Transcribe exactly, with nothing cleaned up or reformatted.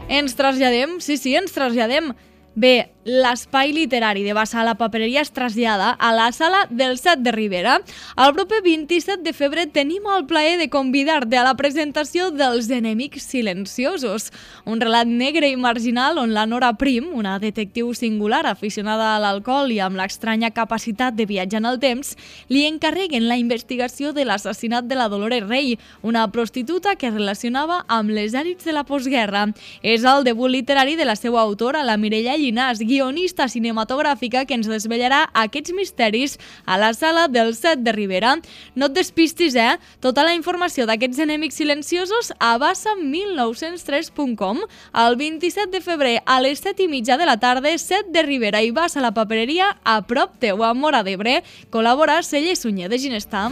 Ens traslladem, sí, sí, ens traslladem. Bé, l'espai literari de Bassa a la Papereria es trasllada a la sala del Set de Ribera. El proper vint-i-set de febrer tenim el plaer de convidar-te a la presentació dels Enemics Silenciosos, un relat negre i marginal on la Nora Prim, una detectiu singular aficionada a l'alcohol i amb l'estranya capacitat de viatjar en el temps, li encarreguen la investigació de l'assassinat de la Dolores Rey, una prostituta que es relacionava amb les èlits de la postguerra. És el debut literari de la seva autora, la Mireia Llinàs, guionista cinematogràfica que ens desvetllarà aquests misteris a la sala del Set de Ribera. No et despistis, eh? Tota la informació d'aquests enemics silenciosos a bassa mil nou-cents tres punt com. El vint-i-set de febrer a les set i mitja de la tarda, Set de Ribera i Bassa a la Papereria, a prop teu, a Móra d'Ebre. Col·labora Celler Sunyer de Ginestar.